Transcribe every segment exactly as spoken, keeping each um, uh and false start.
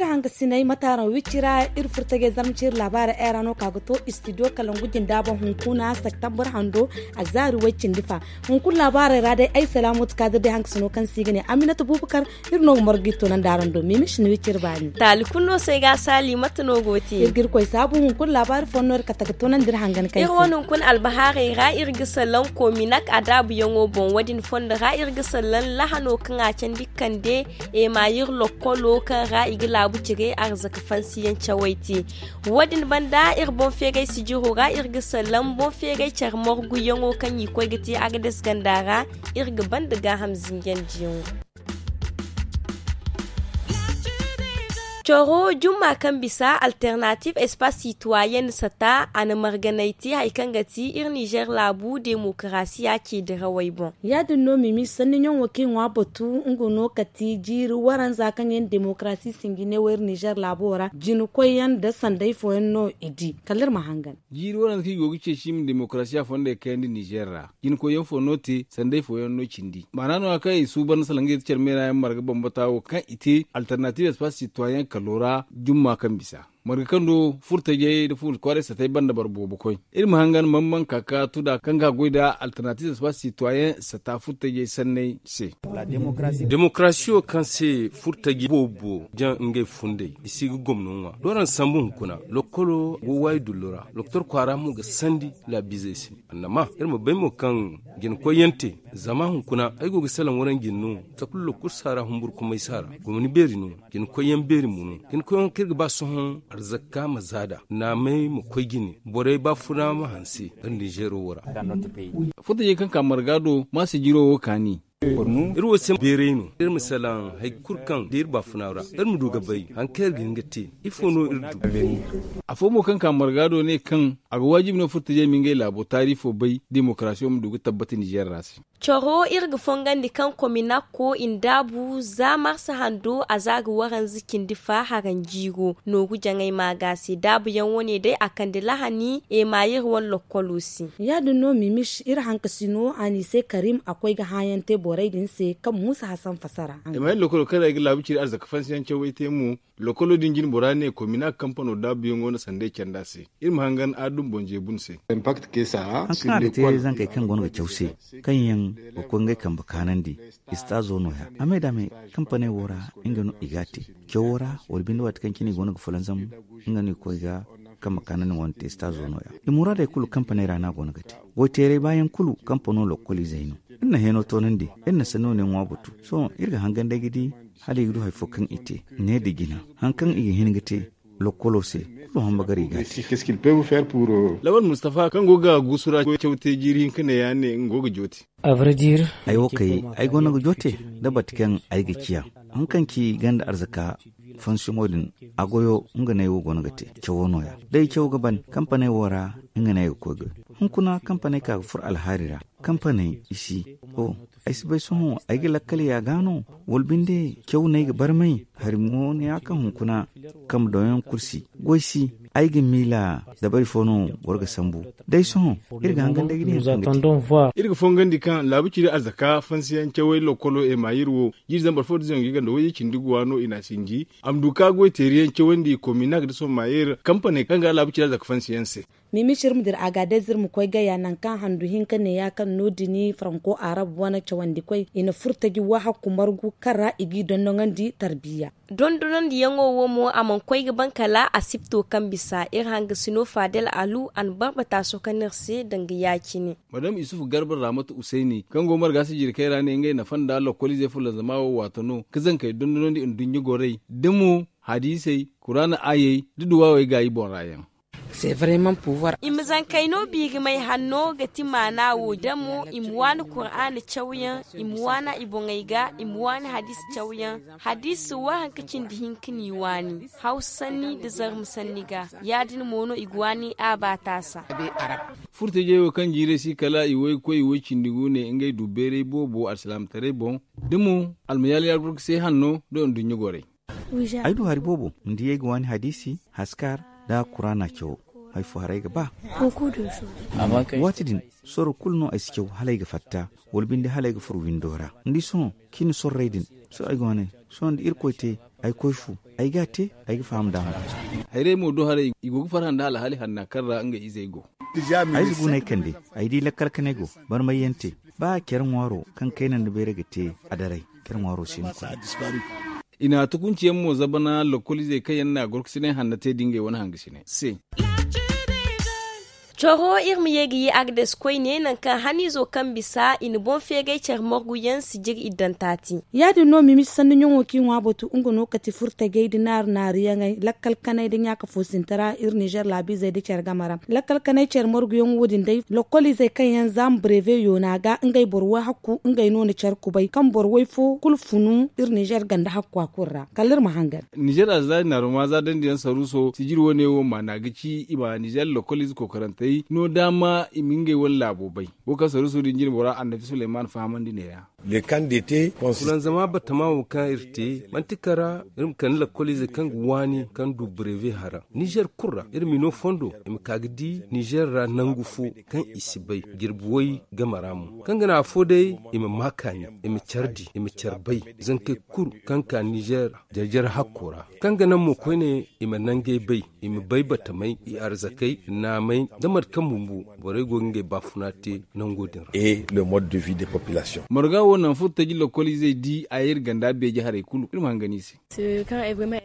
Hangasinay mataaraŋ wicci ra iri furtajey zarma ci iri laabaarey ay ra no ka ga to istidiyo kalangu jinda boŋ hunkuna septembre hando a zaari way cindi fa. Hunkuna laabaarey ra day ay salaamu ti kaadir day hangasino kaŋ se i ga ne aminata bubakar. Iri no ga margu iri toonandi araŋ do miimi sina wicci iri baani. Taali kulu no se ga saali mate no go te iri ga iri koy saabu hunkuna laabaari fooyaŋ no iri kate ga toonandi iri hangan kaŋ iri wane hunkuna albahaarey ra iri ga salaŋ kominak adaabuyaŋo boŋ wo- din fondo ra iri ga salaŋ lahano kaŋ a candi kande emayir lokkolo kaŋ ra i ga laabu cire arzaka fansiyaŋ cawey te. Wo- din banda iri boŋ feeray sijiro ra iri ga salaŋ boŋ feeray care marguyaŋo kaŋ i koy ga te agades ganda ra. Iri ga banda gaaham zinjandiyaŋo. Coro jumma kaŋ bisa alternative espace citoyen sata a na marganay te hari kaŋ ga ti iri nizer laabu demokarasiya ce dirawey boŋ. Ya- din no mimi sanni ɲaŋo kaŋ i ŋwa batu nga no kati jiiri waranza kaŋ yaŋ demokarasi sinji ne wo iri nizer laabo ra jina koyyaŋ nda sanday fooyaŋ no i di kala iri ma hangan. Jiiri waranza kaŋ i go ga ceeci i ma demokarasiya fondey kayandi nizer ra. Jina koyyaŋ fo no te sanday fooyaŋ no cindi maana no- ya kaŋ i suuban da salaŋ ga yeti care meera yaŋ marga bambata wo kaŋ i te alternative espace citoyen kalo ra jumma kaŋ bisa marga kaŋ do furtajey nda fuundi kwaaray satay banda boro boobo koy. Iri ma hangan man man ka ka tuda kaŋ ga goy nda alternative espace citoyen sata furtajey sanney se. Demokarasiyo kaŋ se furtajey boobo jaŋ ngey fundey i si ga gomno ŋwa doran sambu hunkuna lokkolo go waayi dullo ra doktor kwaara mo ga sandi laabiizey se. Annama iri ma bay mo kaŋ jina koyyaŋ te zama hunkuna ay go ga salaŋ waranjin no takulu lokul saara humburkumay saara gomni beeri no. Jina koyyaŋ beeri mo no jina koyyaŋ kaŋ iri ga ba sohõ arzakka ma zaada naamay ma koy jine borey baafuna ma hanse. Iri nizeero wo ra. Furtajey kaŋ ka marga do ma sijiro wo kaani. Iri wo se beeray no iri ma salaŋ hari kulu kaŋ da iri baafuna ra iri ma du ga bay hari kaŋ iri ga hin ga te. Ifo no iri du? Afo mo kaŋ ka marga do ne kaŋ a ga waajibi no furtajey ma ngey laabo taarifo bay demokarasiyo ma du ga tabbati nizer ra se. Coro iri ga fongandi kaŋ kominakko i na daabu za marsa hando a za ga waranza cindi fa haranjiiro nooru jaŋay maaga se daabuyaŋ wane day a kande lahani emayir wane lokkolo se. Ya- din no mimis iri hankasino a n'i se karim a koy ga hãayaŋ te borey din se kaŋ muusa hasan fasara. Emayir lokkolo kaŋ ra i ga laabu ciri arzaka fansiyaŋ cawey te mo. Lokkolo din jine bora ne kominak kampano daabuyaŋo na sanday canda se. Iri ma hangan adum boŋ jeebun se. Haŋ kaŋ a ga te zankey kaŋ goono ga caw se kaŋ yaŋ ga koy ngey kambe kaanandi. Istaazo no- ya a me da me kampaney wo ra nga no i ga a te. Cawo ra wala binde waati kaŋ cine i goono ga fulanzam nga no i koy ga kambe kaanandi wane te istaazo no- ya. I muraadey kulu kampaney ra no a goono ga te. Goyteeray baayaŋ kulu kampano lokkoliizey no. Iri na heeno toonandi iri na sanni wane ŋwa batu sohõ iri ga hangan day ga di hala i ga du hari fo kaŋ i te. Ne nda jina haŋ kaŋ i ga hin ga te lokkolo se. Kulu hamba gar i ga a te. Laban mustafa kaŋ go ga guusu ra caw te jiiri hinka ne ya ne nga go ga joote. Ay wo kay ay goono ga joote da bati kaŋ ay ga ciya haŋ kaŋ ci ganda arzaka fansiyoŋo din. A goyo nga no ay wo goono ga te cawo no- ya da ay caw ga ban kampaney wo ra. Nga no ay ga koy goy hunkuna kampaney ka ga furo alhaari ra. Kampaney i si o ay si bay sohõ ay ga lakkal ya ga no wala binde caw no ay ga barmay hari mo no ya kaŋ hunkuna kambe doŋ yaŋ kulu si goy si. Ay ga miila dabari fo no boro ga sambu day sohõ iri ga hangan day ga di haŋ kaŋ ga te. Iri ga fongandi kaŋ laabu ciri arzaka fansiyaŋ cawey lokkolo emayir wo jiiri zambar fo da zangu i ganda wayye cindi guwa no i n'a sinji a ma du ka goy teeriyaŋ cawandi kominak da somayir kampaney kaŋ ga laabu ciri arzaka fansiyaŋ se. Mimi ciri ma dira a ga day zirma koy gaya nangu kaŋ handu hinka ne ya kaŋ no- din faranko arab wane cawandi koy i na furtaji wahakku margu kaŋ ra i g'i dondoŋandi tarbiya. Dondonandiyaŋo wo mo a mana koy ga ban kala a sipto kaŋ bisa iri hangasino fadel alu a na barbata sohõ kaŋ no iri se danga ya- cine. Madam isufu garba raamatu usayni kaŋ go marga sijirkey ra ne ngey nafa nda lokkoliizey fulanzama wo waato no ga zankey dondonandi nduɲɲa gorey da mo hadiisey kuraana aayey da duwaawey gaayi boŋ ra yaŋ. I ma zankey no biirimay hanno ga ti maana wo da mo i ma waani kuraana cawyaŋ, i ma waana i boŋey ga, i ma waani hadiisi cawyaŋ. Hadiisi si waranka cindi hinka n'i waani hawsa sanni nda zarma sanni ga. Ya- din mo no i ga waani a baataasa. Furtajey wo kaŋ jiirey si kala i woy ga koy i woy cindi gu ne ngey du beeray boobo alsilaamataray boŋ da mo almayaali alburku se hanno nda nduɲɲa gorey. Ay du hari boobo ni di ay ga waani hadiisi haskar nda kuraana cawo. Hari fo haray ga ba. Waati din sorro kulu no ay si caw hala ay ga fatta wala binde hala ay ga furo windo ra ni di sohõ cine sorrey din. Sohõ ay ga waani sohõ nda irkoy te. ay koy fu, ay ga a te, ay ga faham da hã. Hayrey mo do haray i go ga farhã nda alhaali hanna kaŋ ra ngey izey go. Ay si guney kande, ay di lakkal kanay go barmayyaŋ te. Ba care ŋwaaro kaŋ kayna nda bayray ga te a daray, care ŋwaaro si no kulu. I na tukunci yaŋ mo zabana lokkol izey kaŋ yaŋ na gorkasinay hanna te da ngey wane hangasinay se. Coro iri ma ye ga ye agdes koyne nangu kaŋ haniizo kaŋ bisa i na boŋ feegay care morgu yaŋ si jiri iddanta te. Ya- din no mimisi sanni ɲaŋo kaŋ i ŋwa batu nga no kati furtajey da naaru naaru yaŋey lakkal kanay da ɲaaka foosinta ra iri nizer laabiizey da care game ra. Lakkal kanay care morgu yaŋ wo- din day lokkol izey kaŋ yaŋ za ma breve yoona ga ngey boro way hakku ngey no na care kubay kaŋ boro way fo kulu funu iri nizer ganda hakku a kulu ra kala iri ma hangan. Nizer a za naaruma za dandi yaŋ saruuso sijiri wane wo maana ga ci i ma nizer lokkol ize kookarantey no daama i ma ngey wane laabo bay. Wo kaŋ saruuso din jine bora annabi suleyman fahamandi neeya. Kulanzama batama wo kaŋ iri te manti kara iri ma kande lakkol ize kaŋ ga waani kaŋ du breve hara nizer kulu ra iri ma i no fondo i ma ka ga di nizer ra nangu fo kaŋ i si bay jirbi way game ra mo kaŋ ga naŋ afo day i ma ma kaani i ma care di i ma care bay zankey kulu kaŋ ka nizer jare jare hakko ra kaŋ ga naŋ mo koyne i ma nangey bay i ma bay batamey i arzakey naamey da mate kaŋ bumbo borey go ga ngey baafuna te nango din ra. Marga wo naŋ furtaji lokkol izey di a ye iri ganda beeji harey kulu iri ma hangan i se.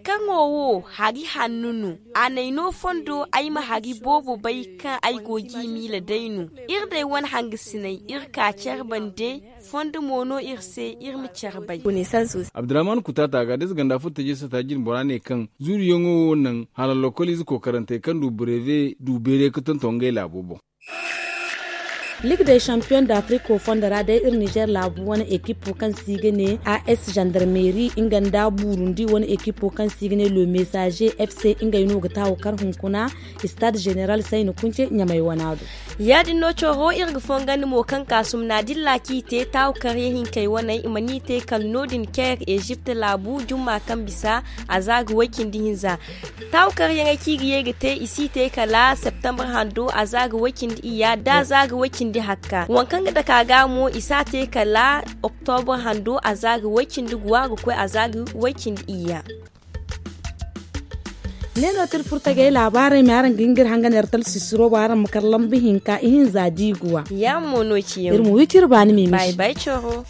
Kaŋo wo hari hanno no a n'ay no fondo ay ma hari boobo bay kaŋ ay go g'i miila day no. Iri day wane hangasinay iri ka care bande fondo mo no iri se iri ma care bay. Abdurrahman kutaata ga da ize ganda furtaji sata jine bora ne kaŋ zuuriyaŋo wo naŋ hala lokkol ize kookarantey kaŋ du breve du beere ga tonton ngey laabo boŋ. Ligue des champions d'afrique wo fondo ra day iri nizer laabu wane ekipo kaŋ se i ga ne as gendarmerie nga nda burundi wane ekipo kaŋ se i ga ne le messager fc ngey no ga taawu kar hunkuna stade général sayni kunce ɲamay wana do. Ya- din no coro iri ga fongandi mo kaŋ ka sumna dilla kaŋ i te taawu karyaŋ hinkey waney i mana i te kala no- din care egypte laabu jumma kaŋ bisa a za ga way cindi hinza. Taawu karyaŋey kaŋ i ga ye ga te i si te kala septembre hando a za ga way cindi iyya da a za ga way cindi hakka waŋ kaŋ ga dake a ga mo i si a te kala octobre hando a za ga way cindi guwa ga koy a za ga way cindi iyya. Ne no tir furtagey laabaarey me araŋ ga hin ga iri hangan iri talsisiro bo araŋ ma kar lambu hinka ihinza da i guwa. Yaŋ mo no ciyaŋ iri ma wi ciri baani mimisi. Bay bay coro.